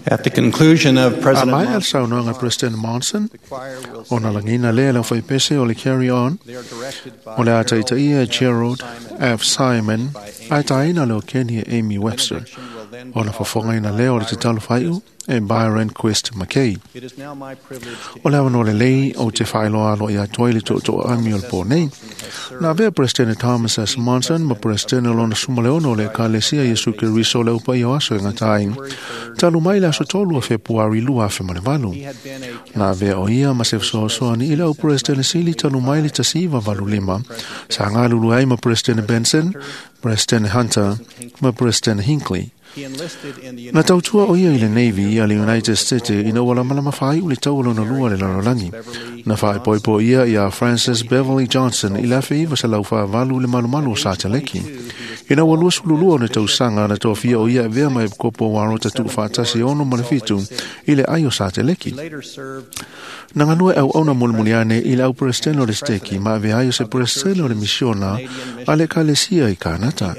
At the conclusion of A President mai al Monson's saunoaga President Monson, the choir will ona sing. lagina lea lau faipese o le Carry On, They are directed by o le a taitaia Gerald Gerald F. F. Simon, Simon ae taina leo Kenya Amy Webster. Benediction will then be Ona fofogaina offered lea o by le tatalo Byron faiu e Byron Quest McKay. It is now my privilege to O le avanoa lelei o te whaeloa alo ia toi le tō ami o le pō nei. Nā vea President Thomas S. Monson ma President o lona sumaleono o le Ekalesia Iesu Keriso o le upa i o aso e ngatai. Talu mai le aso tolu o Fepuari 2008. He had been a Nā vea o ia ma se fesoasoani i le au President Sili talu mai le 1985. Sa ngalulu ai ma President Benson, President Hunter ma President Hinckley. He enlisted in the Na United tautua o ia i le Navy a le United States ina ua lamalama whai u le tau o lona lua le lalolagi. Na whaepoepo ia ia Francis Beverly Johnson i le afe iwa sa lau whaavalu le malumalu o Sāteleki. Ina ua 22 o na tausaga na tofia o ia e vea mai kopo waro tatu whaatasi ono ma le fitu i le ai o Sāteleki. later served Na ngalua au auna mulimuliane i le au presidente o le steki ma ave ai o se presidente o le misiona a le kalesia i Kanata.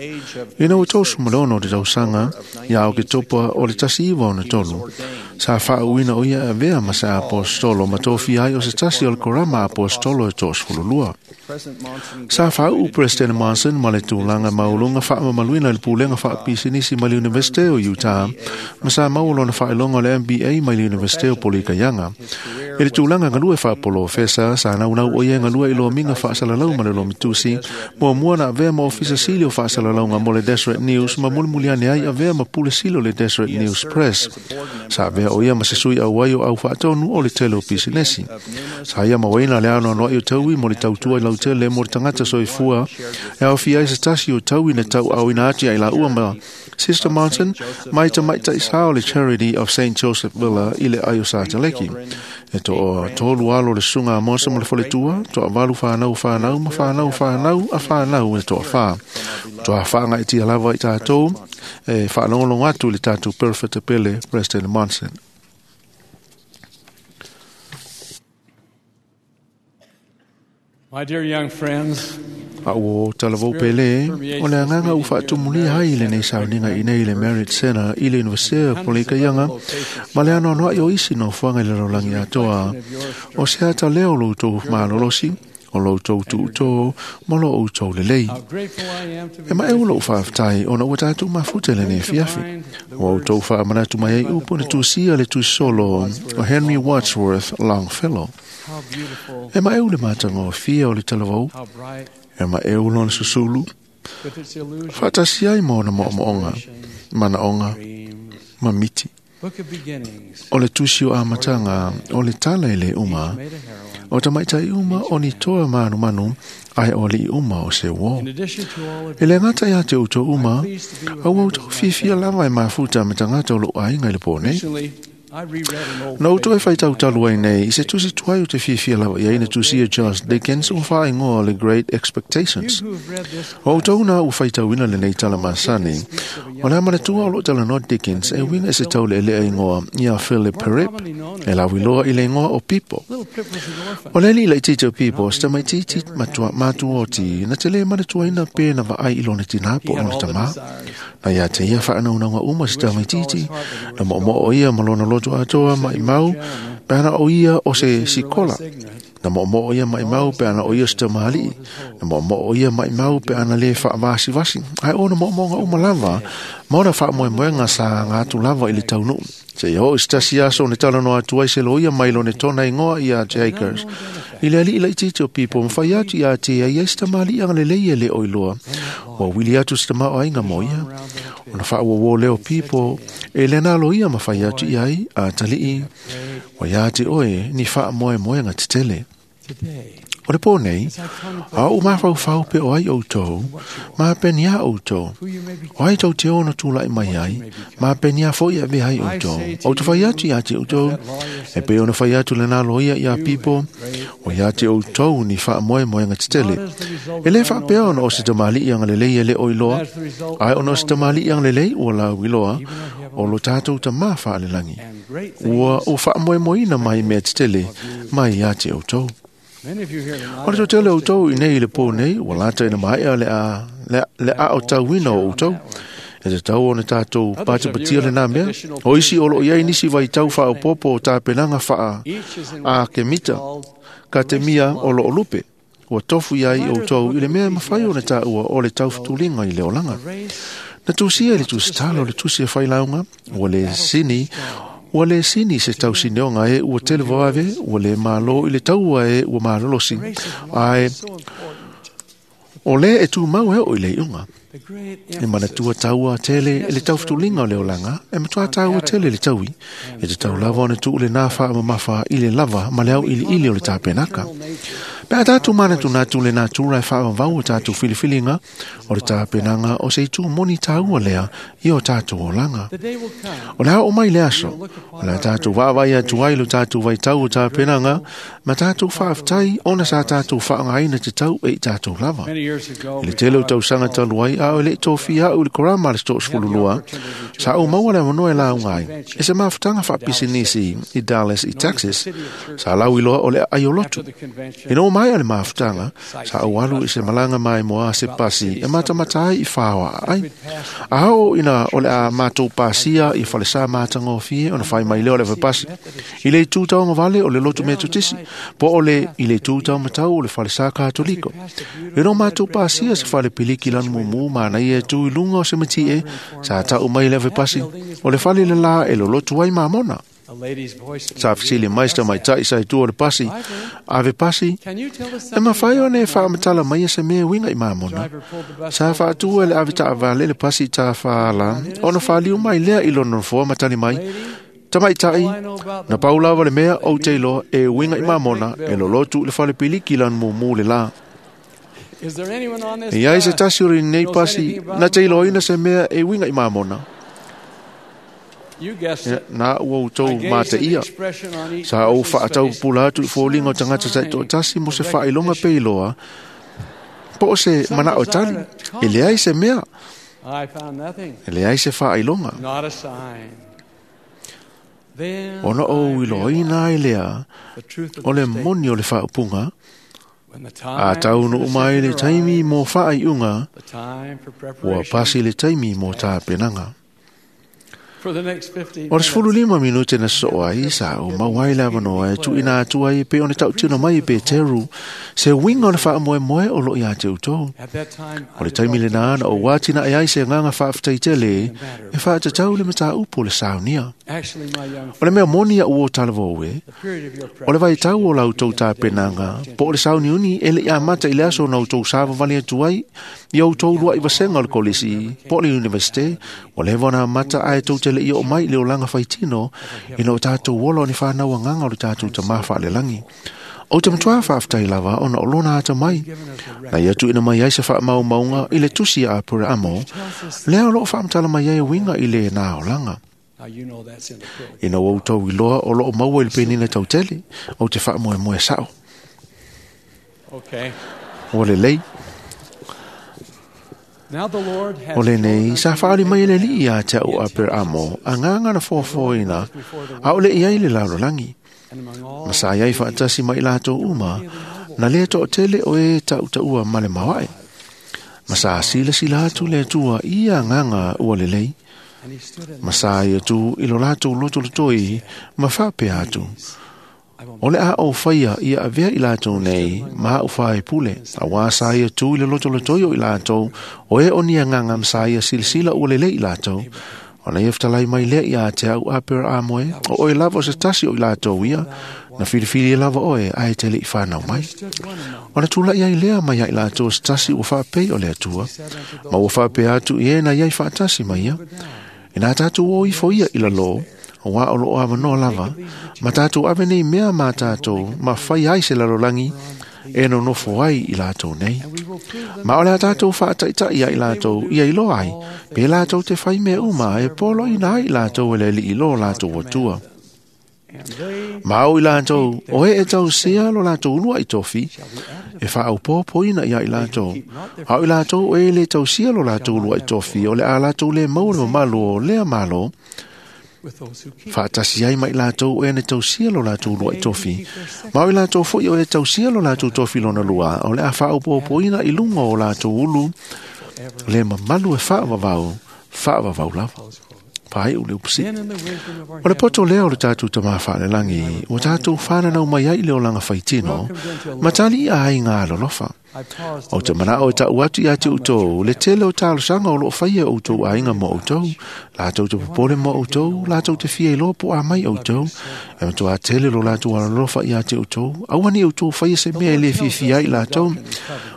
Ina ua 36 o te tausaga ia o ke topa o le 1963. Sa whaauina o ia avea ma sa apostolo ma tofia ai o se tasi o le korama apostolo e 32. President Monson Sa whaau President Monson ma le tūlanga maulunga whaamamaluina le pulenga whaapisinisi ma le Universite o Utah, ma sa maua lona whaelonga o le MBA mai le Universite o Polikaianga. E le tūlanga ngalue whaapolofesa, sa naunau o ia ngalue i lominga whaasalalau ma le lomitusi, mua mua na avea ma ofisa sili o whaasalalauga mo le Deseret News, ma mulimuliane ai avea ma pule sili o le Deseret News Press. Sa avea o ia ma se sui au ai o au whaatonu o le tele o pisinesi. Sa ia mawaina le ano anoa i o taui mo le tautua i lau tele mo le tangata soifua e au fia ai se tasi o taui na tau au ina ati ai la ua ma Sister Monson mai ta mai tai sao le Charity of St. Joseph Villa i le ai o Sāteleki. E to o tolu alo le sunga a Monson mo le faletua, to a valu whanau whanau ma whanau whanau a whanau e to a wha. To a whaanga i tia lava i tātou, e whaalongolongo atu i le tātou Perfect Pele, President Monson. My dear young friends, A o talavou pele, o le anganga u whaatumulia hai le nei sauninga i nei le Merit Center i le Universite o Polikaianga, ma le ano anoa i o isi no fuanga i le rolangi atoa. O se ata leo lo tou malolosi, o lo tou tuuto, ma lo outou lelei. how grateful I am to be E ma e ulo whaaftai o na ua tātou mafuta le nei fiafi. Ua outou whaamanatu mai ai upu na tusia le tusolo o Henry Wadsworth Longfellow. how beautiful, E ma e ule mātanga o fia o le talavou, how bright, e ma e ulo na susulu, with its illusion, whaatasi ai mōna mo'omo'onga, manaonga, dreams, ma miti. book of beginnings, O le tusi o amatanga, o le tala i le uma, made a heroine. o tamaitai uma o ni toa manu manu, ai o li uma o se wō. In addition to all of E le ngata ia te uto uma, pleased to be with au au members tau of my fiafia lava e mafuta me tangata o lo ainga i le pō nei. Recently, I reread an old Na uto e favorite whai of tau mine. talu ai nei, i se tusi tuai o te fiafia lava ia ina tusi e Charles Dickens o whaingoa o le Great You Expectations. who have read this O tau nā u whaitauina le nei tala masani, o le amana tua o lo tala no Dickens e winga e se tau le elea ingoa ia Philip more Perip, commonly known as e la wiloa i le ingoa o Pipo. Little Pip was an orphan. O le li lai tito Pipo, sta mai titi matua matuoti, na te le mana tuaina pē na vaai i lona tina He po had lona all the tama. desires. Na ia te ia whaanaunanga uma se tamai titi, na mo mo o ia ma lona loto atoa mai mau, pēna o ia o se Wishing you were sikola. less ignorant. Na mo mo o ia mai mau pēna o ia se tamali, na mo mo o ia mai mau pēna le whaavasi vasi. Ai o na mo mo nga uma lava, ma ona whaamoemoenga sa ngā atu lava i le taunu. Se i o istasi aso ne tala no atu ai se lo ia mai lo ne tona ingoa ia Jakers. I le ali i lai titi o pipo, mwhai atu ia te ai ai se tamali anga le leia le oiloa. Ua wili atu se tamao ai ngā moia. Ona whaawawō leo pipo, e le nalo ia mawhai atu i ai a talii. Wa ia te oe ni whaamoemoenga te tele. Today, O le pō nei, as I contemplate a o mawhau pe o ai outou, mā penia outou. who you may be, O ai tau te ono tūlai mai ai, mā penia foi a vehai outou. O te whai atu ia te outou, e pe ona whai atu le nalo ia ia pipo, o ia te outou ni whaamoemoenga te tele. not as the result E le of unknown whaapea ona o se tamali i anga lelei e le oiloa, as the result ai of ona o se unknown tamali i anga lelei ua lau iloa, even our o heavenly lo tātou ta mā whaalelangi. and great Ua things. o whaamoemoeina mai mea te tele, mai ia te outou. Many of you here tonight O le are tele o close to tau i nei le pō nei, ua lata ina mai a le a, le, le a o tauina o outou. E tatau ona tatou patipatia lenā mea. O isi o loo i ai nisi vaitau faaopoopo o tapenaga faa Each is in what akemita is called katemia o loo lupe. Ua tofu i ai outou i le mea e mafai ona taua o le taufutuliga i le olaga. the race Na tusia i le tusitala o le tusi e failauga, ua le sini, ua le sini se tausineoga e ua tele vavave, ua le malo i le taua e ua malolosi. race of life Ae is so important. o le e tumau e oo i le iuga. The great E manatua taua tele i le taufutuliga o le olaga, e matua taua tele le taui, e te tau lava ona tuu lenā faamamafa i le lava ma le au iliili o le tapenaka. Pe a tātou manatunatu le natura e whaavavau o tātou filifiliga o le tāpenaga o se itu moni tāua lea i o tātou olaga. The day will come O le ao mai le aso, o le tātou vaavai atu ai lo tātou vaitau o tāpenaga, ma tātou whaaftai ona sa tātou whaangaina te tau e i tātou lava. many years ago. I le tele o tausaga talu ai, a o le tōfia au i le korama le 32, sa au maua le avanoa e launga ai. E se mafutaga faapisinisi i Dallas i Texas, sa lau iloa o le aiolotu. After the convention, Ina o mai a le mafutaga, sa au alu i se malanga mai moa se pasi e matamata ai i whaoa ai. A o ina o le a mātou pasia i whalesa mātangofie ona whai mai leo le vapasi. I le tūtau vale o le lotu metotisi, po o le i le tūtau matau o le whalesa katoliko. E no mātou pasia se whale piliki lanu mumu mana ia e tū i lunga o se mati e, sa tau mai le vapasi, o le whale le la e lo lotu ai mamona. a lady's voice. Sa fisili mai sa mai tai sa i tua o le pasi, ave pasi, Can you tell us e mawhai something o ne about whaamatala mai e se mea winga i mamona. driver pulled the bus Sa over to the whaatua le side ave of the ta road? vale le pasi ta whaala, ona whaaliu mai lea i lono foa matani mai, tamai tai, All I know about na the paulava le mea o te iloa e winga i mamona, e lolotu le whale piliki lan mumu le la. Is there anyone on this E ai se bus tasi o nei knows pasi, anything about na te iloa Mormon? ina se mea e winga i mamona. You guessed E, it. Nā ua I utou gazed mā at te the ia. expression on each Sa ou person's whaatau face. pula atu i fōlinga o tangata Sign tai tasi mo se of whailonga recognition. peiloa, po o se mana o tali, e leai se mea, I found nothing. e leai se whailonga. Not a sign. Then Ona o I iloina ai lea, realized the truth of o the le statement. moni o le whaopunga, When the a time tau for no umai le decision taimi arrives, mō whaaiunga, the time for ua preparation pasi le taimi mō tāpenanga. for the next 15 O le minutes, 15 minute na soo ai, sa o mauai le avanoa e tuina atu ai pe o ne tautino mai pe teru, se winga o le whaamoe moe o lo ia te utou. At that time, O le taimi le nā na o wātina e ai se nganga whaaftai tele, e whaatatau le mata upo le saunia. Actually, my young O le mea moni a uo talavo e, the period of your o le vai tau o preparation lau tau began the day you tāpenanga, walked into po o le sauniuni e le ia mata i le aso na outou sāvavali atu ai, i outou lua i vasenga o le kolisi, po o le universite, o le wana mata ai tou te le i o mai i le olanga whaitino, i no tātou ola o ni whānau anganga o le tātou tamā whaalelangi. O te matua whaaftai lava ona o lona ata mai, given us a na ia tuina mai ai se whaamaumauga i le tusi a Apura Amo, tells us lea o loo whaamatala mai ai winga i le nā olanga. Now you know that's in the quill. Ina o tau iloa o loo maua i le penina tautele, o te whaamoemoe sao. Okay. O le lei, Now the Lord has o le nei, shown sa unto whaali mai le Abraham li ia te au a Per Amo, a ngā ngana fōfōina, a o le iai le lalolangi. and among all Ma sa iai whaatasi mai lātou uma, na lea to tele o e tau taua ma le mawae. Ma sa sila sila atu le atua ia nganga ua le lei, and he stood in ma sa ia tu i lo lātou loto lotoi, ma whapea atu. I will O le a o whaia ia avea i lātou nei, ma au whae pule, a wā sa ia tū i le loto lotoi o i lātou, o e oni a nganga msa ia silasila ua lele i lātou. O na ia whatalai mai lea ia te au a pera a moe, o oe lava o se tasi o i lātou ia, na whiriwhiri e lava oe a e te le i whānau mai. stood one among O na tūla ia i lea mai ia i lātou se tasi ua whaapei o le atua, said unto ma ua whaapea atu i e na ia i whaatasi mai ia. E nā tātou o ifo ia i lalo, o wā o loo awanoa lava, ma tātou ave nei mea mā tātou, ma whai ai se lalolangi, e no nofo ai i lātou nei. and we will prove them Ma o lea tātou whaataitai ia i lātou, ia i loa ai, pe lātou te whai mea uma, e polo ina ai lātou e le li i lo lātou atua. and they Ma au i lātou, o e e tau sea lo lātou lua i tofi, shall be added e whaaupopo ina ia i lātou. Au i lātou o e le tau sia lo lātou lua i tofi, o le a lātou le mau le malo o lea malo, with those who keep whaatasi ai mai lātou o e ne tau sia lo lātou lua i tofi. Ma o i lātou foi o e tau sia lo lātou tofi lona lua, o le a whaaupopo ina i lunga o lātou ulu, forever le mamalu e whaavavau, Faavavau lava. Faaiu le upu sii. Then in the wisdom of our O le poto heavenly lea o le tatou tamā faalelagi, ua tatou fananau mai ai i le olaga faitino, ma tali ia aiga alolofa. I pause to O te let you manao e know tau atu ia te outou, le tele o talosaga o loo faia e outou aiga mo outou, latou te popole mo outou, latou te fia iloa po a mai outou, e matuā tele lo latou alolofa ia te outou, aua ne i outou faia se mea e le fiafia ai latou.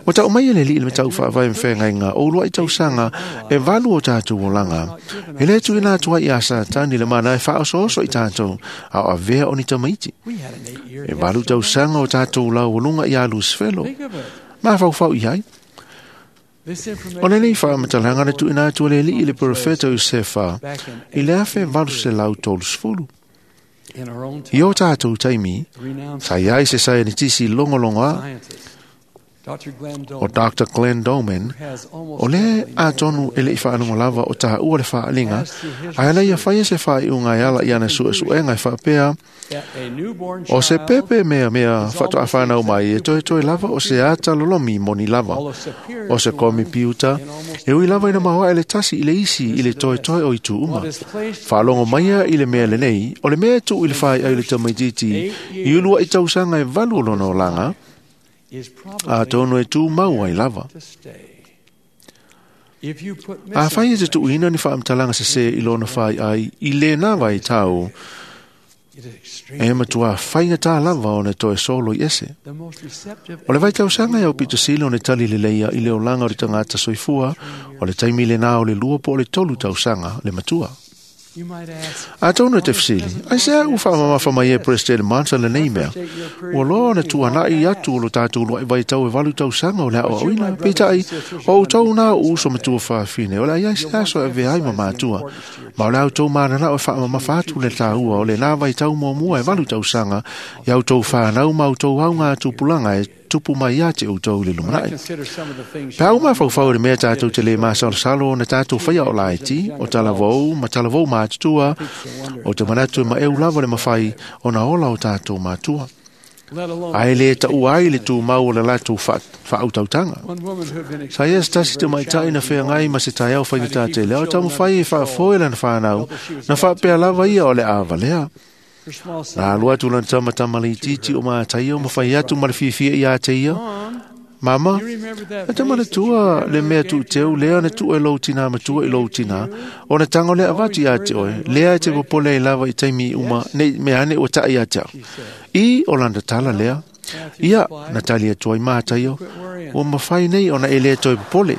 Ua tau mai e le Alii le matau faavae ma feagaiga o uluai tausaga e valu o tatou olaga. E le tuuina atu ai ia Satani le mana e faaosooso i tatou, a o avea o ni tamaiti. We had an 8-year E valu tausaga o tatou laualuga ia Lusifelo. Think of it. Mafaufau i ai. This information O lenei faamatalaga na tuuina atu e le Alii i le perofeta Iosefa back in i le 1830. in our own I time, o tatou taimi, renowned sa i ai se saienitisi logologoa scientist Dr. Glenn o Doman Dr. Glenn Doman, has almost o le definitely atonu e lei faalogo lava o taua le faaliga, as through his ae ala ia research faia se faaiuga e ala i ana suesuega e faapea, that a newborn o se child, pepe mea mea faatoafanau mai e toetoe lava o se ata lolomi moni lava, although superior o se to one komipiuta, in almost e ui lava ina maoae le tasi i le isi i le toetoe o itu uma. what is placed Faalogo maia i le mea lenei, o le mea e tuu i le whai ai le tamaitiiti, i uluai tausaga e valu o lona olaga, is probably atonu e tū mau ai lava. to stay. If you put A whai e te misinformation, tuuina ni whaamatalaga se se i lona whai ai i lēnā vai tau, it is extremely e matua whainga tā lava o ne toe solo i ese. the most receptive O le vai tausaga ia o pito sili o ne tali leleia i le olaga o le tangata soifua, o le taimi lena o le lua po o le tolu tausaga le matua. You might ask, Atonu e te fesili, ai se au whaamamafa mai e President Monson lenei mea. Ua loa na tuanai atu o lo tātou luai vai tau e valu tausaga o le ao auina, peitai, o outou nā o uso matua whaafine, o le ai se aso e veai ma mātua. Ma o le au tau manana o e whaamamafa atu le tāua o le nā vai tau muamua e valu tausaga, i au tau whanau ma au tau au ngā tupulanga e tupu mai ia te outou i le when I lumanai. consider some of the things Pe au mafaufau i le mea tātou te le masalosalo na tātou whaia o laiti, o talavou, ma talavou mātutua, o te manatu e maeu lava le mawhai o na ola o tātou mātua. let alone Ai le tau ai le tū mau o le latou whaautautanga. one woman who had been Sa ia se tasi te maitai na whengai ma se taiao whaingata te leo, tau mawhai e whaafoe lana whanau, na whaapea lava ia o le awalea. her small son. Na alua atu lana tama le itiiti o mātai o mawhai atu ma le fiafia i a te ia. Mom, Mama, you remember that E te mana vase that your tua le mea grandmother tu gave to teu your lea na mother? tu e lou tina matua i lou tina o na tango lea avatu ia te oe lea e te popole i lava i taimi uma nei mea ane ua tai ia te au She said, i o lana tala lea Matthew ia replied, na tali atu ai mātai o quit worrying. ua mawhai nei ona e lea toe popole.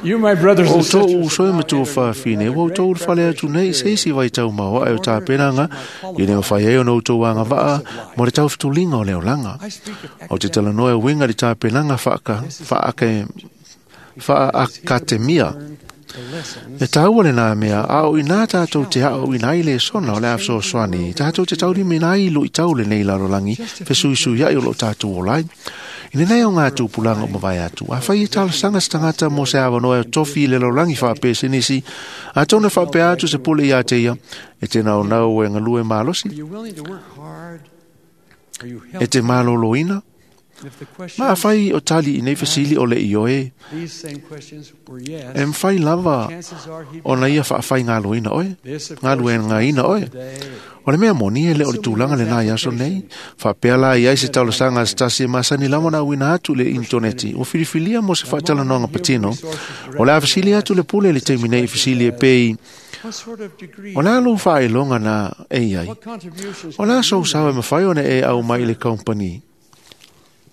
You, my brothers O and tō sisters, uso e have now matua entered into whawhine, another ua great tō whale atu nei se isi vai tau maua e o tāpenanga, i leo whai ai o no tō wanga waa, mo le tau fitulinga o leo langa. I speak of O te academic talanoa e winga le tāpenanga whaakatemia. the lessons E tāua le nā mea, a o inā tātou te hao i nā i le sona o le awso swani, tātou te tauri me nā i lui tau le nei lalolangi, fesuisu ia i o lo tātou o lai. I nei o ngā tūpulanga o mawai atu, a whai e talasanga se tangata mo se awanoa e tofi i le lalolangi whaapese nisi, a tōna whaapea atu se pule i a te ia, e te nao nau e ngalue malosi, Are you willing to work hard? Are you e healthy? te maloloina, And if the questions, ma a whai o tali i nei fesili o le ioe, these same questions were yes, e mwhai lava chances are he'd o na ia whaawhai ngā oe. This, of Ngā course, lue ngā ina oe. today. O le mea moni e le o le tūlanga le nā iaso nei, whapea la i ai se taulasaga se tasi e masani lama na uina atu le intoneti, o filifilia mo se whaatalanoanga patino, o le awasili atu le pule le taimi nei fesili e pei, What sort of degree? o le alu whaelonga na e iai. What contributions? O le aso sawe mawhai ona e au mai le company.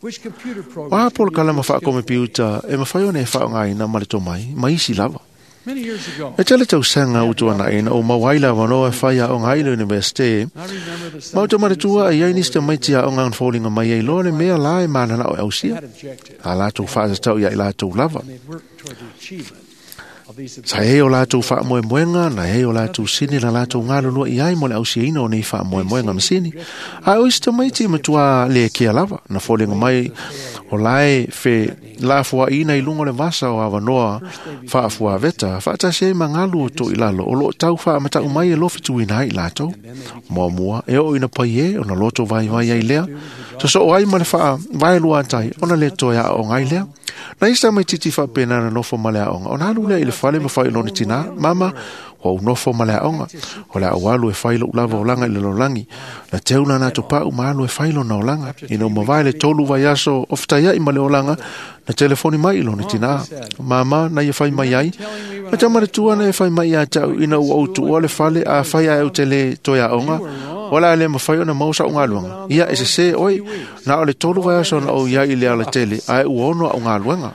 Which computer O program? a polo kalama whaakomepiuta e mawhai ona e whaongaina ma le tomai, ma isi lava. Many years ago, E tele tausaga utuana ina o mauai lava noa e whai a o ngai le universite, I remember the Ma o te manatua e iai nisi te students maiti a o ngā fōlinga mai ai loa le mea la e manana o ausia. had objectives, A lātou whaasatau ia i lātou lava. and they'd worked toward the achievement of these Sa hei o lātou whaamoemoenga, na hei o lātou sini na lātou ngalulua i ai mo le ausiaina o nei whaamoemoenga masini. A o isi te maiti matua le kia lava, na fōlinga mai o lae whe la fua ina i lunga o le vasa o awanoa whaafua veta, whaatasi ai mangalu o tō i lalo, o lo tau whaamatau mai e lofituina ai lātou. Mua mua, e o ina pai e, o na loto vai vai ai lea, Sosoo ai ma le faavaeluatai ona le toe aooga ai lea. Na isi tamaitiiti faapena na nofo ma le aoga, ona alu lea i le fale ma fai i lona tinā, “Mama, ua ou nofo ma le aoga, o le a ou alu e fai lo'u lava olaga i le lalolagi.” Na teu lana atopa'u ma alu e fai lona olaga. Ina ua mavae le 3 vaiaso o fetaia'i ma le olaga, na telefoni mai i lona tinā. “Mama,” na ia fai mai ai, “na te manatua na e fai mai ia te au ina ua ou tuua le fale a fai ae ou te le toe aoga, o le a le mafai ona maua sa'u galuega. Ia e sesē oe, na o le 3 vaiaso na ou iai i le alatele, ae ua 6 a'u galuega.”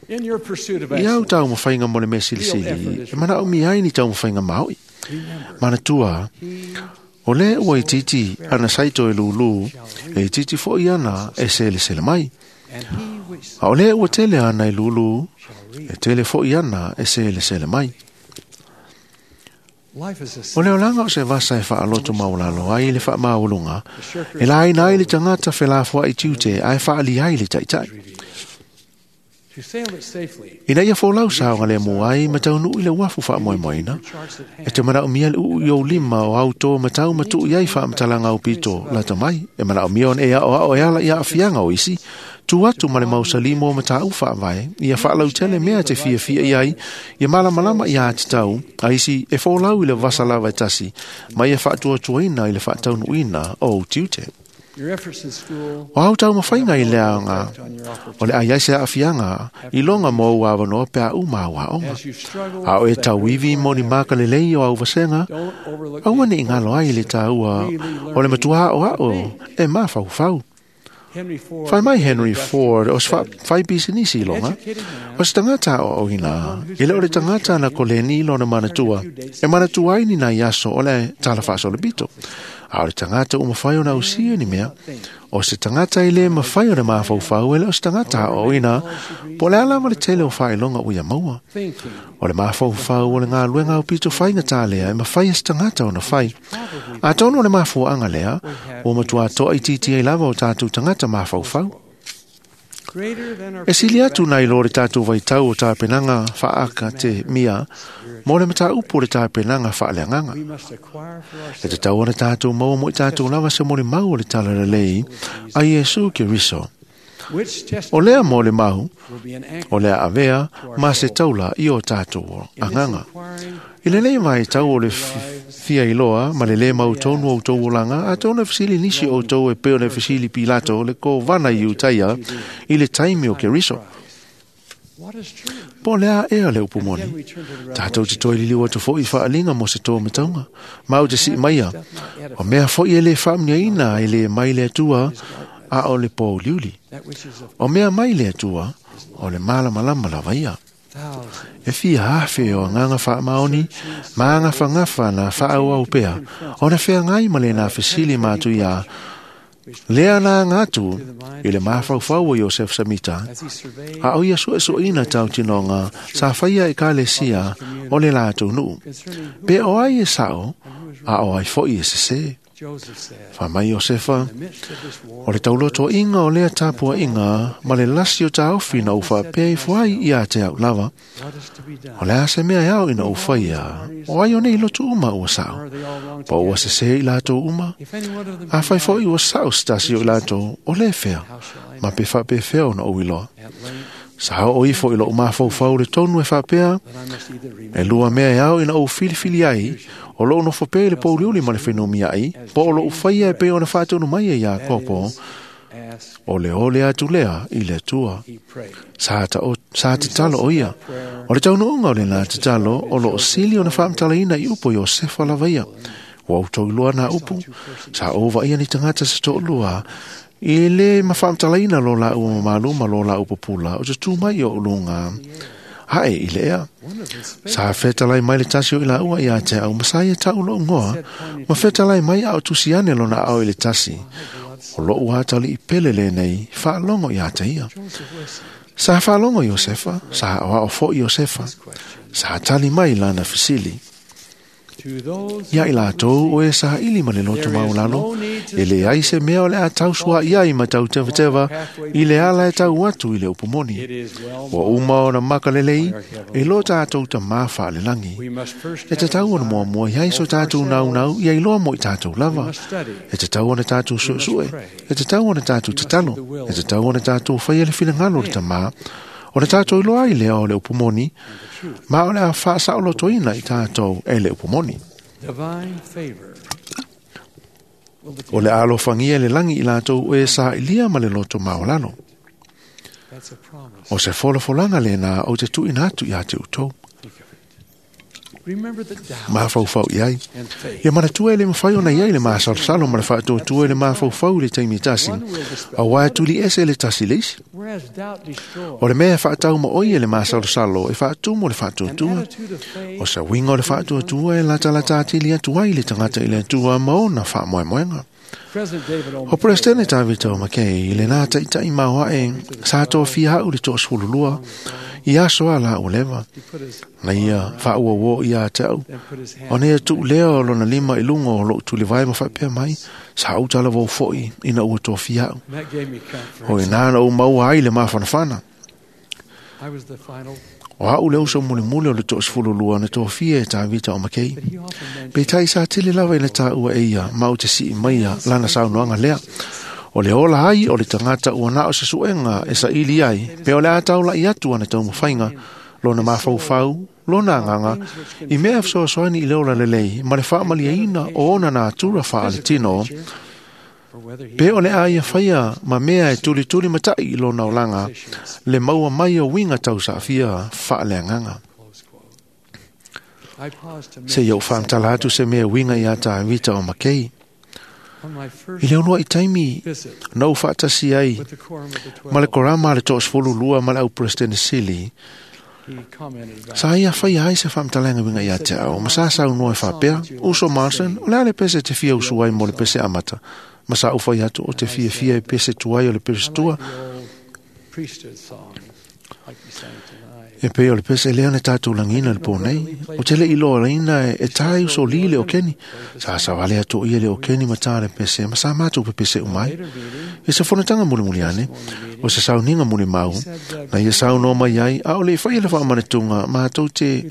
In your pursuit of I au excellence, taumafaiga mo le mea silisili, e manaomia ai ni taumafaiga mao'i. Manatua, o lē ua itiiti ana saito e lūlū, e itiiti fo'i ana e selesele mai. and he which A o lē ua tele ana e lūlū, shall reap. e tele fo'i ana e selesele mai. Life is a O le olaga o se vasa e faaloto maulalo ai le faamaualuga, e laina ai le tagata felafoa'i tiute ae faaali ai le ta'ita'i. To sail it safely, Ina ia folau saoga le mua ai ma taunuu i le uafu faamoemoeina, charts at e te manaomia le uu i ou lima o au tō matau ma tuu i ai faamatalaga aupito lata mai. E manaomia ona e aoao e ala i aafiaga o isi, tu atu ma le mausalimo o mataupu faavae, ia faalautele mea te fiafia i ai, ia malamalama ia tatau, a isi e folau i le vasa lava e tasi, ma ia faatuatuaina i le faataunuuina o ou tiute. Your efforts in school O au taumafaiga i le aoga, on your o le ai ai se aafiaga, i loga mo ou avanoa pe a uma au aoga. as you struggle A o e for that tauivi mo ni maka lelei o au vasega, don't overlook aua the ne i ngalo ai le tāua o le matua ao ao e mafaufau. Henry Ford. Fai mai Henry Ford o se fai pisinisi i loga, Educated man o se tagata aoaoina, e le o le tagata na koleni i lona manatua, e manatua ai ni nai aso o le tala faasolopito. A o le tagata ua mafai ona ausia ni mea, o se tagata e le mafai ona mafaufau e le o se tagata aoaoina, po o le a lava le tele o faailoga ua ia maua. thinking O le mafaufau o le galuega aupito faigata lea e mafai e se tagata ona fai. Atonu o le mafuaaga lea, ua matuā toaitiiti ai lava o tatou tagata mafaufau. greater than our E sili atu nai lo le tatou vaitau o tapenaga faaaka te mia, mo le mataupu o le tapenaga faaleagaga. we must acquire for E ourselves tatau ona tatou maua mo i tatou lava se molimau o le talalelei a Iesu Keriso. which O testimony lea mo le mau, will be an anchor o le avea ma se taula i o tatou in this agaga. inquiring I lenei vaitau o le fia iloa ma le lē mautonu o outou olaga, atonu e fesili nisi o outou e pei ona e fesili Pilato le kovana i Iutaia i le taimi o Keriso. what is true. Po o le a ea le upu Again, moni. we turn to the Tatou te Revelation. toe liliu atu fo'i i faaliga mo se tō mataunga. Ma ou te sii maia, Doth not edify o mea fo'i e lē faamniaina e lē mai le Atua, a o le pōuliuli. that which is of O mea mai le Atua, o le malamalama lava ia. thousands E fia afe o agaga faamaoni, ma agafagafa na faaauau pea, ona feagai ma le na fesili ma atu ia, lea na aga atu i le mafaufau o Iosef Samita, as he surveyed a o ia suesueina tautinoga sa faia e kalesia o le latou nuu. concerning who Pe o ai e sao, and who is a right. o ai fo'i e sesē. Joseph said, Fai mai Iosefa, in the midst of this war, o le taulotoa'iga o lea tapua'iga ma le lasi o taofi na ou faapea ifo ai ia te au lava, what is to be done? o le a se mea e ao ina ou faia, o ai o nei lotu uma ua Or sao, are they all wrong po ua together? sesē i latou uma, If any one of them a fai be fo'i right, ua sao se tasi o i latou, o lē fea, how shall I ma know? pe faapefea ona ou iloa. At length, Sa oo ifo i lou mafaufau le tonu e faapea, that I must either e remain lua mea e ao ina ou filifili ai, o lou nofo pea i le pouliuli ma le fenumia'i, po o lou faia e pei ona faatonu mai e that Iakopo, is, as o le ole atu lea i le Atua. he prayed. Sa sa tatalo o ia. O le taunuuga o lena tatalo o loo sili ona faamatalaina i upu o Iosefa lava ia. Ua outou iloa na upu, sa ou vaaia ni tagata se toalua, i le mafaamatalaina lo laua mamalu ma lo laua pupula o te tu mai o uluga ae i le ea. One of them spake, Sa fetalai mai le tasi o i laua ia te au masai e tau lou ngoa, ma fetalai mai a o tusi ane lona ao i le tasi. O lou atali i pele lenei, faalogo ia te ia. Joseph listened Sa faalogo Iosefa, sa aoao fo'i Iosefa, this question. sa tali mai lana fesili. Ia i latou o e saili ma le loto maulalo, e leai se mea o le a tausua i ai ma tautevateva i le ala e tau atu i le upu moni. Ua uma ona makalelei e lo tatou tamā faalelagi. E tatau ona muamua i ai so tatou naunau ia iloa mo i tatou lava. E tatau ona tatou suesue, e tatau ona tatou tatalo, e tatau ona tatou faia le finagalo o le tamā, ona tatou iloa ai lea o le upu moni, ma o le a faasaolotoina i tatou e le upu moni. O le a alofagia le lagi i latou e sailia ma le loto maualalo. O se folafolaga lena ou te tuuina atu ia te outou. Mafaufau i ai. Ia manatua e le mafai ona i ai le masalosalo ma le faatuatua i le mafaufau i le taimi e tasi, auā e tuliese le tasi le isi. O le mea e faataumaoi e le masalosalo e faatumu le faatuatua. O se uiga o le faatuatua e latalata atili atu ai le tagata i le Atua ma ona faamoemoega. O Peresetene Tavita o Makei i lena taʻitaʻi maoaʻe sa tofia au le 22 i aso a la ua leva. Na ia faauauō ia te au. Ona ia tuu lea o lona lima i luga o lou tulivae ma faapea mai, sa ou talavou foʻi ina ua tofia au. O ina na ou maua ai le mafanafana. O au le uso mulimuli o le 22 na tofia e Tavita o Makei. Peitai sa tele lava ina taua e ia ma ou te sii maia lana saunoaga lea. O le ola ai o le tagata ua na o se suega e saili ai, pe o le a taulaʻi atu ana taumafaiga, lona mafaufau, lona agaga, i mea e fesoasoani i le ola lelei ma le faamaliaina o ona natura faaletino, pe o le a ia faia ma mea e tulituli mataʻi i lona olaga, le maua mai o uiga tausaafia faaleagaga. Seia ou faamatala atu se mea uiga iā Tavita o Makei. I le uluaʻi taimi na ou faatasi ai ma le korama a le 22 ma le au Peresetene Sili, sa ia faia ai se faamatalaga uiga ia te au, ma sa saunoa e faapea, Uso Martin, o le a le pese te fia usu ai mo le pese amata, ma sa ou fai atu o te fiafia e pese tuai o le pese tua, e pei o le pese lea na tatou lagiina le pō nei. O te le iloa laina e tae usolī le o keni. Sa savale atu ia le o keni ma tā le pese, ma sa matou pepese uma ai. E se fonotaga mulimuli ane, o se sauniga mulimau, na ia saunoa mai ai, a o le i faia le faamanatuga matou te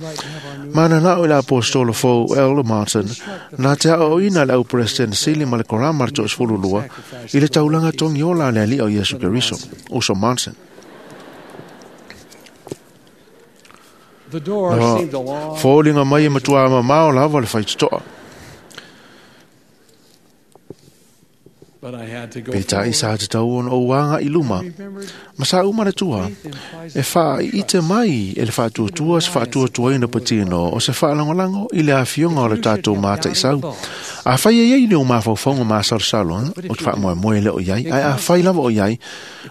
mananao i le apostolo fou Elder Martin, na te aoaoina le au Peresetene Sili ma le korama le 22 i le taulaga togiola a le Alii o Iesu Keriso, Uso Martin. Na foliga mai e matuā mamao lava le faitotoa. Peitai sa tatau ona ou agaʻi luma, ma sa ou manatua, e faaiite mai e le faatuatua se faatuatuaina patino o se faalagolago i le afioga o le tatou mataʻisau. Afai e iai le ou mafaufauga masalosalo, o te faamoemoe lea o i ai, ae afai lava o i ai,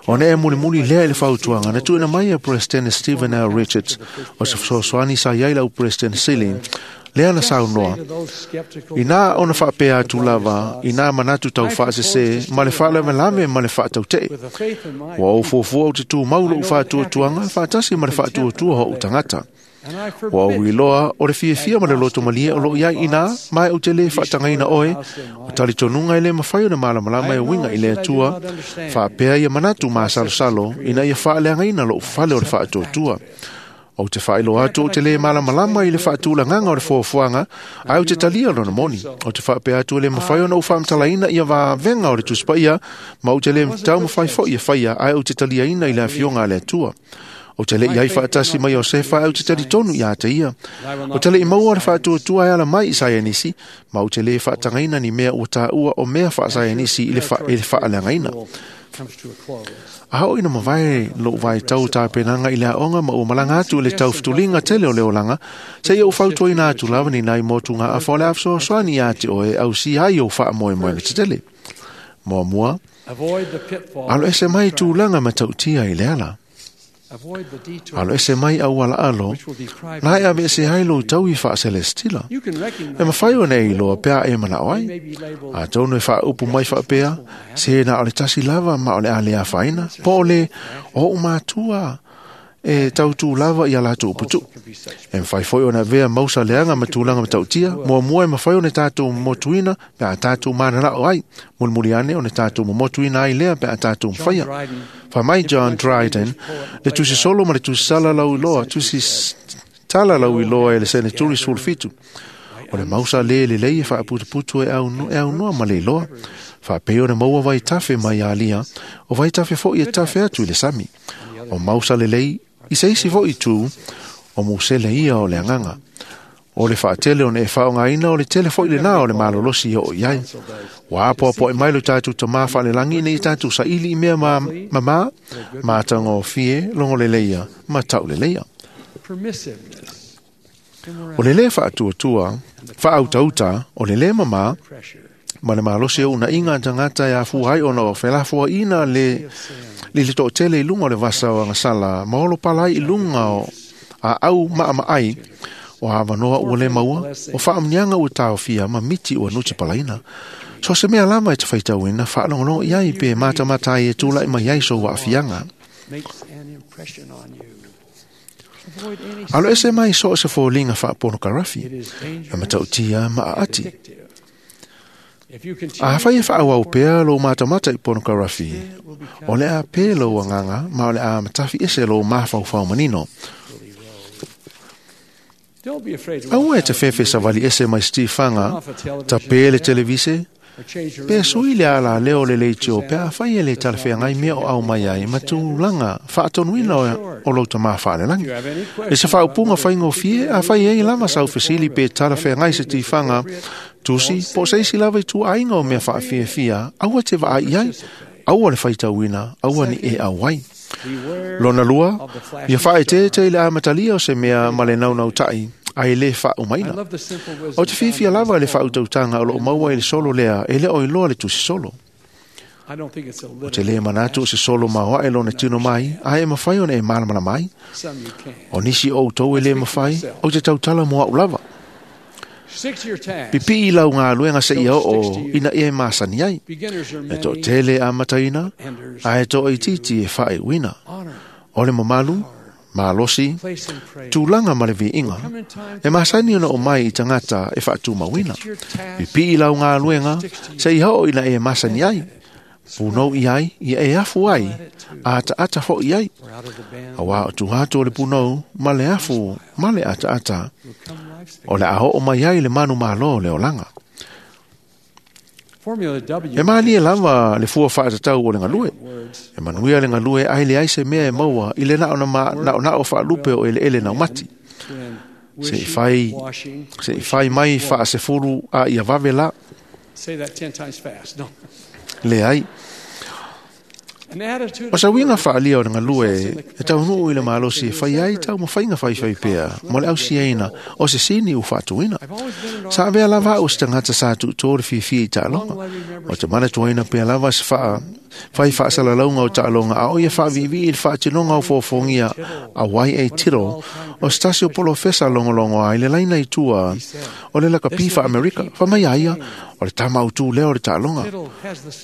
ona e mulimuli lea i le fautuaga na tuuina mai e Peresetene Stephen L. Richards o se fesoasoani sa i ai lau Peresetene Sili, lea na saunoa. Inā ona faapea atu lava, inā manatu taufaasese, ma le faalavelave ma le faatautee. Ua ou fuafua ou te tumau lou faatuatuaga, faatasi ma le faatuatua o ou tagata. Ua ou iloa o le fiafia ma le loto malie o loo i ai ina, ma e ou te lē faatagaina oe, o talitonuga e lē mafai ona malamalama e uiga i le Atua, faapea ia manatu masalosalo ina ia faaleagaina lou fale o le faatuatua. Ou te faailoa atu ou te lē malamalama i le faatulagaga o le foafoaga, ae ou te talia lona moni. Ou te faapea atu e lē mafai ona ou faamatalaina ia vavega o le Tusi Paia, ma ou te lē taumafai foʻi e faia, ae ou te taliaina i le afioga a le Atua. Ou te le i ai faatasi mai Iosefa, ae ou te talitonu iā te ia. Ou te le i maua le faatuatua e ala mai i saienisi, ma ou te lē faatagaina ni mea ua taua o mea faasaienisi i le faaleagaina. A oo ina mavae lou vaitau tapenaga i le aoga ma ua malaga atu i le taufutuliga tele o le olaga, seia ou fautuaina atu lava ni nai motugaafa o le a fesoasoani iā te oe e ausia ai ou faamoemoega tetele. Muamua, alo ese mai tulaga matautia i le ala. Alo ese mai auala alo, na e aveese ai lou taui faaselestila. E mafai ona e iloa pe a e manao ai. Atonu e faaupu mai faapea, se na o le tasi lava ma o le a le afaina, po o le o ou matua e tautū lava ia latou uputuʻu. E mafai foi ona avea mausa leaga ma tulaga matautia, muamua e mafai ona tatou momotuina pe a tatou mananao ai, mulimuli ane ona tatou momotuina ai lea pe a tatou mafaia. Fai mai John Dryden, le tusi solo ma le tusi sala lauiloa, tusi tala lauiloa e le seneturi 17. O le mausa lē lelei e faaputuputu e aunoa ma le iloa. Faapei ona maua vaitafe mai alia, o vaitafe foʻi e tafe atu i le sami. O mausa lelei i se isi foʻi itu, o musele ia o le agaga. O le faatele ona e faaaogaina o le tele foʻi lenā o le malolosi e oo i ai. Ua apoapoai mai lo tatou tamā faalelagi ina ia tatou saili i mea mamā, matagofie, logoleleia ma tauleleia. O le lē faatuatua, faautauta, o le lē mamā, ma le malosi o uunaʻiga a tagata e afua ai ona o felafoaʻina le le toʻatele i luga o le vasa o agasala ma olo pala ai i luga o aau maʻamaʻai o avanoa ua lē maua o faamuniaga ua taofia ma miti ua nuti palaina. So se mea lava e te faitauina faalogologo i ai pe matamata ai e tulaʻi mai ai sou aafiaga. Alo ese mai so o se foliga faaponokarafi e matautia ma aati. Afai e faaauau pea lou matamata i ponokarafi, o le a pē lou agaga ma o le a matafi ese lou mafaufau manino. Aua e te fefe savali ese mai sitifaga, tapē le televise, pe sui le alaleo o le leitio pe afai e le talafeagai mea o au mai ai ma tulaga faatonuina o lou tamā faalelagi. E se faaupuga faigofie afai ai lava sau fesili pe talafeagai se tifaga tusi po o se isi lava i tuaaiga o mea faafiafia, aua te vaai i ai, aua le faitauina, aua ni e auai. Lona lua, ia faaeteete i le amatalia o se mea ma le naunautaʻi ae lē faaumaina. O te fiafia lava i le faautautaga o loo maua i le solo lea e le o iloa le tusi solo. O te lē manatu o se solo maoaʻe lona tino mai, ae e mafai ona e malamalama ai. O nisi o outou e lē mafai, ou te tautala mo aʻu lava. Pipii lau galuega seia oo ina ia e masani ai. E toʻatele amataina, ae toaitiiti e faaiuina. O le mamalu, malosi, tulaga ma le viiga, e masani ona o mai i tagata e faatumauina. Pipii lau galuega seia oo ina e masani ai. Punou i ai, ia e afu ai, ataata foʻi ai. Auā o tuha atu o le punou ma le afu ma le ataata, o le a oo mai ai le manu mālō o le olaga. E malie lava le fua faatatau o le galue. E manuia le galue ae leai se mea e maua i le naonao faalupe o eleele naumati. Se i fai mai faasefulu a ia vave la. Leai. O sa uiga faalia o le galue e taunuu i le malosi e fai ai taumafaiga faifai pea mo le ausiaina o se sini ua faatuina. Sa avea lava au se tagata sa tuutō le fiafia i taaloga. O te manatuaina pea lava se fai faasalalauga o taaloga a o ia faaviivii i le faatinoga o foafoagia a Y.A. Tittle o se tasi o polofesa logologo ai le laina i tua o le lakapi faa-Amerika. Fai mai a ia, o le tama autū lea o le taaloga.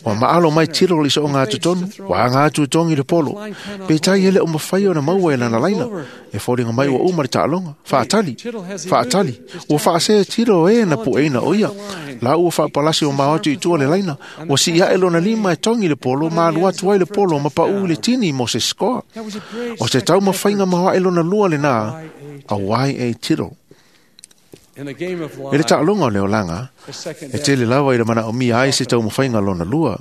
Ua maalo mai Tittle i soʻoga totonu, ua aga atu e togi le polo. Peitai e le o mafai ona maua e lana laina. E foliga mai ua uma le taaloga. Faatali, faatali. Ua faasē Tittle e na pueina o ia. La ua faapalasi o mao atu i tua le laina. Ua sii aʻe lona lima e togi le polo, ma alu atu ai le polo ma paʻu i le tini mo se sikoa. O se taumafaiga maoaʻe lona lua lenā a Y.A. Tittle. E le taaloga o le olaga, e tele lava i le manaomia ai se taumafaiga lona lua.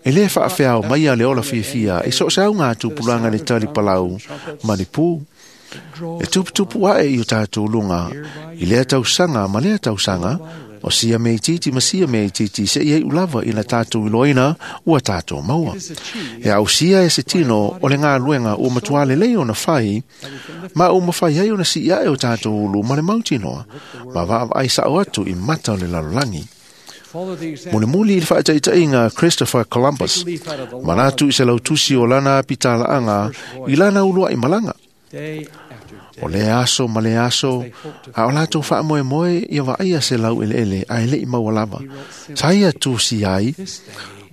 E lē faafeao maia le ola fiafia i so o se auga tupulaga le tali palau ma le pū. E tuputupu aʻe i o tatou luga i lea tausaga ma lea tausaga, o sia mea itiiti ma sia mea itiiti seia iʻu lava ina tatou iloaina ua tatou maua. E ausia e se tino o le galuega ua matuā lelei ona fai, ma ua mafai ai ona sii aʻe o tatou ulu ma le mautinoa, ma vaavaai saʻo atu i mata o le lalolagi. Mulimuli i le faataitaiga Christopher Columbus, manatu i se lautusi o lana pitalaaga i lana uluaʻi malaga. O le aso ma le aso, a o latou faamoemoe ia vaaia se lau eleele ae leʻi maua lava. Sa ia tusi ai,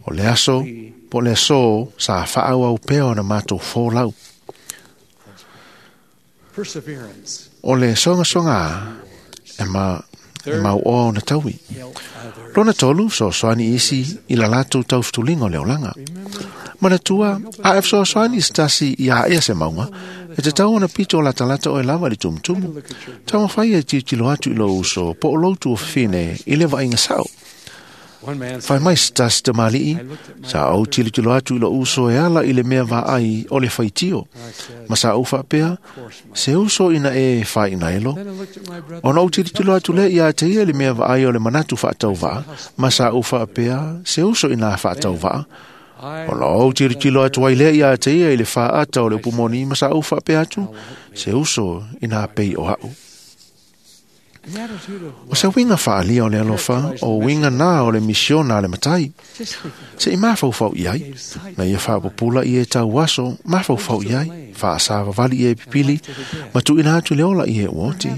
o le aso po o le asō sa faaauau pea ona matou folau. Perseverance. O le sogasoga e ma e mauoa ona taui. Help others. Lona tolu, fesoasoani isi i la latou taufutuliga o le olaga. Remember, Manatua, a e fesoasoani i se tasi ia aea se mauga, e tatau ona pito latalata oe lava i le tumutumu. look at your Taumafai e tilotilo atu i lou uso po o lou tuafafine i le vaaiga sao. one man Fai said, mai se tasi tamalii, sa ou tilotilo atu i lou uso e ala i le mea vaai o le faitio. I said, Ma sa ou faapea, of course, my. se uso ina e faainaelo, Then I looked at my brother. Ona ou tilotilo atu lea ia te ia le mea vaai o le manatu faatauvaa, ma sa ou faapea, se uso ina faatauvaa. I Ona ou tilotilo atu ai lea ia te ia i le faaata o le upumoni, ma sa ou faapea atu, se uso ina pei o au. an attitude of O se uiga faaalia o le alofa, o uiga nā o le misiona a le matai. just think of Se i mafaufau i ai, gave sight na ia faapupula i e tau aso, mafaufau i ai, faasavavali i e pipili, ma tuuina atu le ola i e ua oti.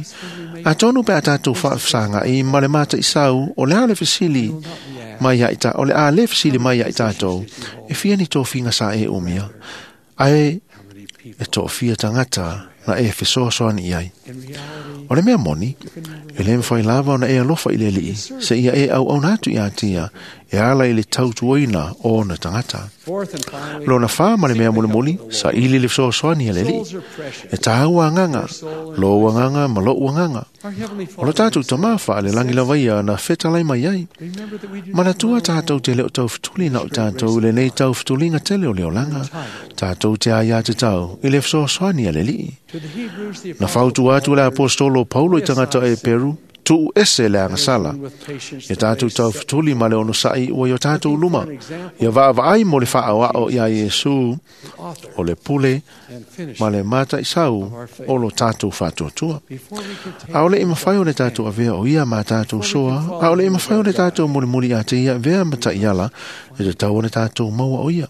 Atonu pe a tātou faafesaga'i ma le mataʻisau o le a le fesili will not be asked. mai ia i ta, o le a le fesili mai ia i tātou, e fia ni tofiga sa e umia, ae How many people e toafia tagata na e fesoasoani i ai. in reality O le mea moni, e le mafai lava ona e alofa i le alii, se ia e auauna atu ia te ia, e ala i le tautuaina o ona tagata. Fourth and finally, Lona whā ma le mea mulimuli, sa ili le fesoasoani a le alii. souls are precious. E tāua agaga, lou agaga ma lou agaga. Our heavenly O lo Father, tātou tamā wha le langi lava ia na fetalai mai ai. remember that we do not Manatua run tātou te leo taufutuliga o tātou le nei taufutuliga tele o le olaga. Tātou te ai a te tau i le fesoasoani a le alii. To the Hebrews, the Na apostle fautua atu le Paul apostolo Paulo i tagata e Peru, tuu ese le agasala. urged with patience Ia the tātou way set taufutuli ma le onosa'i ua i o tātou luma. Ia vaavaai mo le faaoao ia Iesu the author o le pule and finisher. ma le mataʻisau o lo tātou faatuatua. Before we can take Aole i mawhai o le tātou avea o ia mā tātou soa, aole i mawhai o le tātou mulimuli a te ia vea ma taʻiala, e te tau o le tātou maua o ia.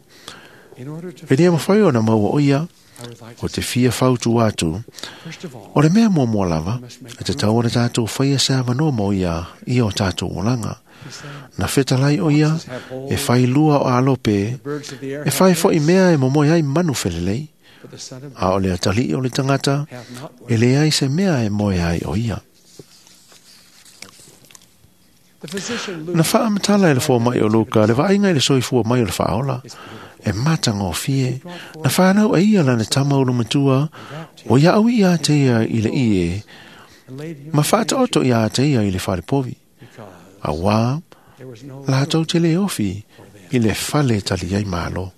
in order to E lia mawhai o na maua o ia, I would like o to te fia fautu atu, first of all o le mea muamua lava, e te tau o le tātou whaia se awanoa mo ia, i o tātou olanga. he said, Na fetalai o ia, e whai lua o alope, birds of the air e have whai fo i nests, mea e momoe ai manu whelelei, but the Son of Man a o le atali o le tangata, hath not e le ai se mea e moe ai o ia. The physician Luke Na whaamatala e le fō mai o Luka, le vaaiga i le soifua mai o le whaola, is beautiful. e matagofie, na whanau e ia lana tama o matua, o ia au ia te ia i le ie, And laid him ma in a whaataoto ia te ia i le wharepovi. because A wā, there was no lātou room te le ofi for them. i le fale tali ai malo.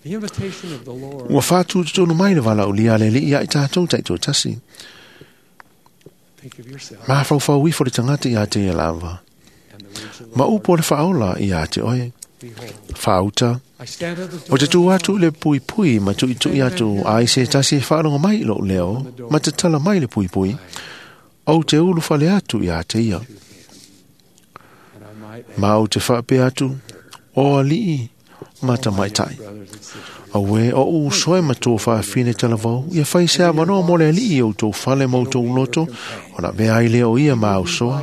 The invitation of the Lord Ua whātūtonu mai le wala o lia le li ia i tātou taito tasi. think of yourself Mā whauwhau ifo le tangata ia te ia lava. and the words of the Ma Lord. upo le whaola ia te oe. Behold, Whauta, I stand at the door O te tū and atu le pui pui ma tui tui atu ai se tasi e whaalongo mai i lou leo, ma te tala mai le pui pui, au te ulu whale atu ia te ia. and I might add, Ma au te whaapea atu, o alii, ma tamaitai. brothers and sisters, Awe o u soe ma tō whaafine talavau, ia whai se awanoa mo le alii o tō whale mo tō uloto, o na vea ai lea o ia ma au soa,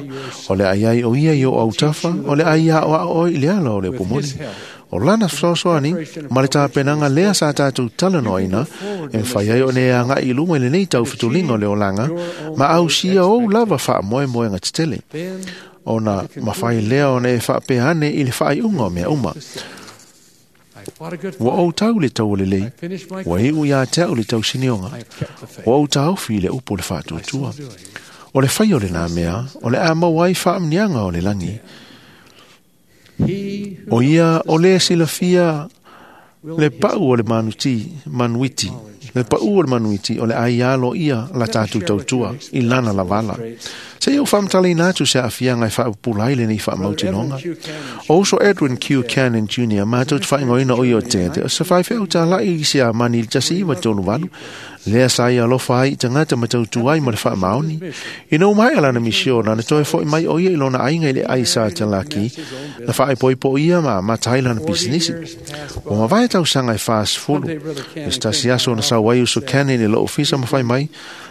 o le ai ai o ia i o au tawha, o le ai a o a oi i le ala o le with upumoni. his help, O lana fesoasoani, ma le tapenaga lea sa tātou talanoaina, e mafai ai ona e agaʻi i luma i lenei taufetuliga o le olaga, ma ausia ou lava faamoemoega tetele. then Ona mafai lea ona e faapea ane i le faaiuga o mea uma. to say, I fought a good Ua fight. ou tau le tau o lelei, I finished my ua course. iu iā te au le tausinioga, I have kept the faith. ua ou taofi i le upu o le By so faatuatua. doing, O le whai o le nā mea, o le a mau ai whaamnianga o le langi. he who O ia o le silafia will le in his pau o le manuti, manuiti. Le pau o le manuiti o le ai alo ia la tātou tautua i lana lavala. Se iau whamtaleina atu se afianga e whaapupula ai le nei whaamautinoga. Edwin Q. Cannon O uso Edwin Q. Cannon Jr. mātou te whaingoina o ia o te o se whaiwheu tā lai i se a mani i tasi iwa tonu walu. Lea sa ia alofa ai i tangata ma tautua ai ma le whaamaoni. I nau mai alana misiona na toe foi mai o ia i lona ainga i le ai sa te laki. Na whaaipoipo ia ma matai lana pisinisi. years passed O mavae tausaga e 40. E se tasi aso na sau ai uso Cannon i lo ofisa ma whai mai.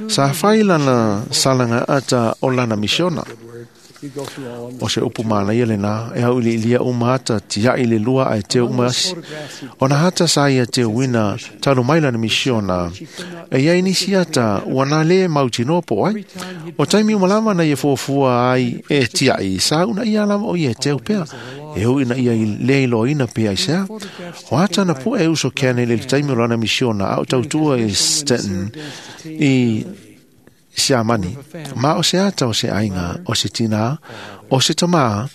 Sa whai lana salaga ata o lana misiona. good word. You go through all of them. O se upu mālaia le nā, e au ili ilia uma ata tiai le lua ai te uma asi. O na hata sa ia te wina talu maila na misiona. E iai nisi ata ua nā le mautinoa po ai. O taimi umalama na ia fuafua ai e tiai sa una ia lava o ia teu pea. E hui na ia i le iloina pea i sea. O ata na pua e uso kene le taimi o lana misiona au tautua e Stettin i Siamani. Ma o se ata o se ainga, o se tina, o se tamā,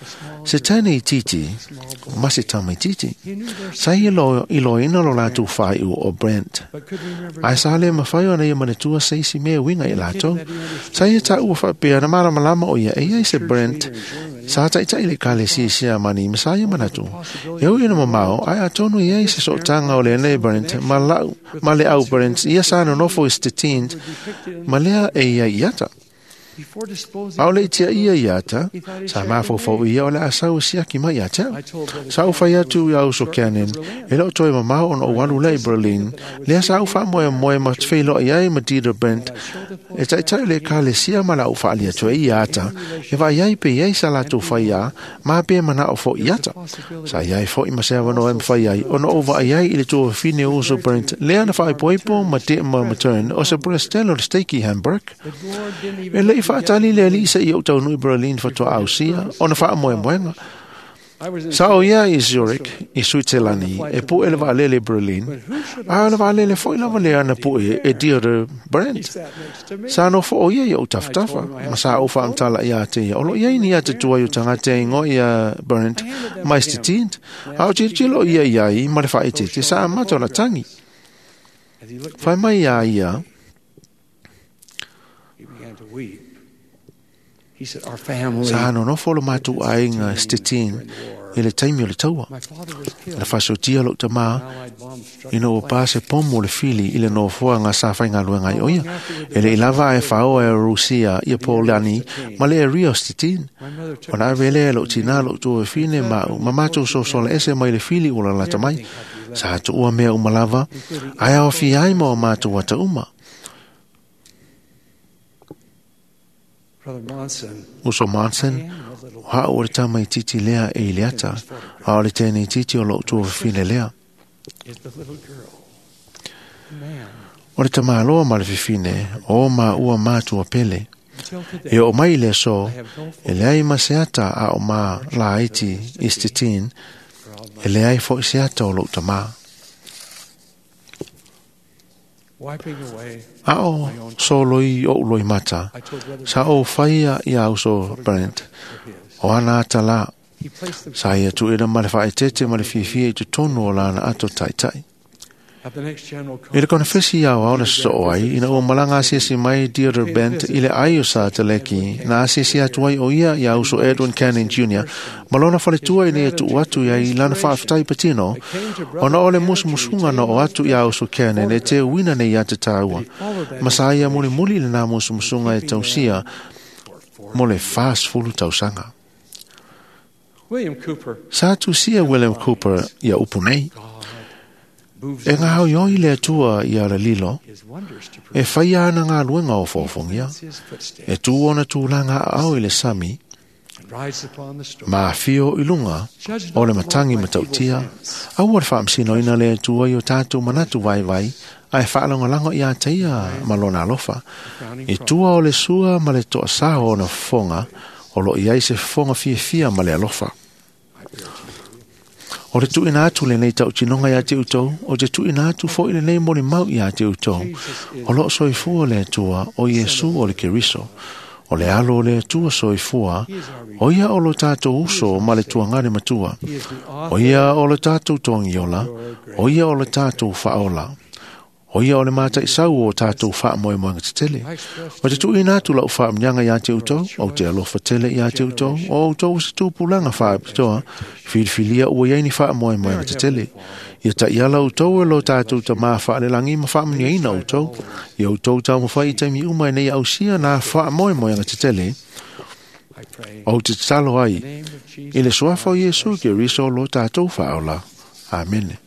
se tane i titi, ma se tama i titi. Sa i iloina lo lātou whaiu o Brent. But could remember Ai sa le mawhai o na ia manatua se isi mea winga i lātou. Sa ia tā ua whapea na maramalama o ia e ia i se Brent. Sa taitai le kale si Siamani ma sa ia manatu. E ui ina mamao, ai atonu ia i se sootanga o le nei Brent, ma, lau, ma le au Brent, ia sa nonofo i Stettin, ma lea e ia i ata. before disposing Ao le tia ia i ata, sa mafofo ia o le asau siaki mai ia te au. I told Brother Sa u whai atu i au so Canon, e leo toi mamao ona o walu lei Berlin, lea sa u wha moe moe ma te whailo i ai ma Dieter Brent, e tai tai le ka le sia ma la u whaali atu e i ata, e vai ai pe iai sa latou whai a, ma pe mana o fo i ata. Sa iai fo i ma sea wano e mwhai ai, ona o vai ai i le tua whine o uso Brent, lea na whai poipo ma te ma matern, o se Brestelo le steiki Hamburg. The Lord didn't even E lei whaatali le ali sa i au tau nui Berlin whatua au sia, ona wha moe moenga. I was in Sa o ia i Zurich, i Switzerlandi, e pu ele vaalele Berlin, a ele vaalele foi lava le ana pu e, e Dieter He Brandt. sat next to me. Sa no fo o ia i au tafatafa, ma sa o whaamtala ia te ia. Olo ia ini a te tua i o tangate ingo ia Brandt, mai stitint, a o tiro ia ia i ma le whaete, te sa amato la tangi. As he looked Whai mai ia ia, he began to weep. He said, Our family, sa nonofo lo mātou ainga Stettin i le taimi o le taua. my father was killed. Na whasotia lo tamā, Allied bomb struck ina ua pā se pomo le fili i le nofoa ngā sa whaingaluenga i oia. E le ilava e whaoa e Rusia i a Paulani ma le e Rio Stettin. My mother took O nā vele e lo tina lo tua e fine ma, ma mātou so sola ese mai le fili ula lata mai. Sa atu ua mea umalava, ai ao fi ai ma o mātou ata uma. Brother Monson. Uso Monson, I am a little o hao o le tama i titi lea e i le ata, a o le tēnei titi o lo tua fine lea. is the little girl. The man. O le tamaloa ma le fifine, o ma ua mātua pele. Until today, E o mai le so, I have no e leai ma se ata a o ma laiti i Stettin, for all my e leai fo i se ata o lou tamā. wiping away. A o soloi o uloi mata, I told Brother sa o whaia i au so Brent, for his. o ana ata la, He placed them sa ia tu ina ma le whaetete ma le fiafia i te tonu o lana ato taitai. at the next general I le conference. konefesi iau au na so ai, ina ua malanga asiasi mai Dieter Bent i le ai o sa teleki, na asiasi atu ai o ia i au so Edwin Cannon Jr., ma lona faletua i nei tu atu ia i lana whaaftai patino, I came to ona o le Brother Cannon to musumusunga na o retain atu i au so Cannon e te uina nei ata tāua. He followed that Ma sa ia muli muli le nā musumusunga e tausia for mo le 40 tausanga. William Cooper. Sa tusia William Cooper ia upu nei, God moves e ngā hau ioi le atua i ara lilo, his wonders to e prove whai ana ngā luenga o fōfongia, his footsteps e tū ona tūlanga au i le sami, and rides upon the storm. ma whio i lunga Judge o not le the Lord matangi by matautia, evil sense. aua le whaamsino ina le atua i o tātou manatu vai vai, ai whaalangolanga i a teia ma lona alofa. Frowning I tua o le sua ma le toa sao o na fonga, o lo iai se fonga fiafia ma le alofa. I bear to you. O le tuina atu le nei tau tinonga ia te utou, o te tuina atu fo i le nei moli mau ia te utou. O lo soifua le Atua, o Iesu o le Keriso. O le alo o le Atua soifua, o ia o lo tātou uso ma le tuangare matua. He is the O author ia o le tātou toangiola, o ia o le tātou whaola. O ia o le mātai sau o tātou whaamoemoenga te tele. I express O te tuina atu lau whaamnyanga ia te utou, o te alofa tele ia te utou, o utou se tūpulanga whaapitoa, whiriwhilia ua iai ni whaamoemoenga te tele. Ia ta iala utou e lo tātou ta mā whaalelangi ma whaamniaina utou, ia utou tau mawhai i taimi uma e nei ausia nā whaamoemoenga te tele, I pray o te talo ai, in the name of Jesus i le suafa o Iesu ke riso lo tātou whaola. Amene.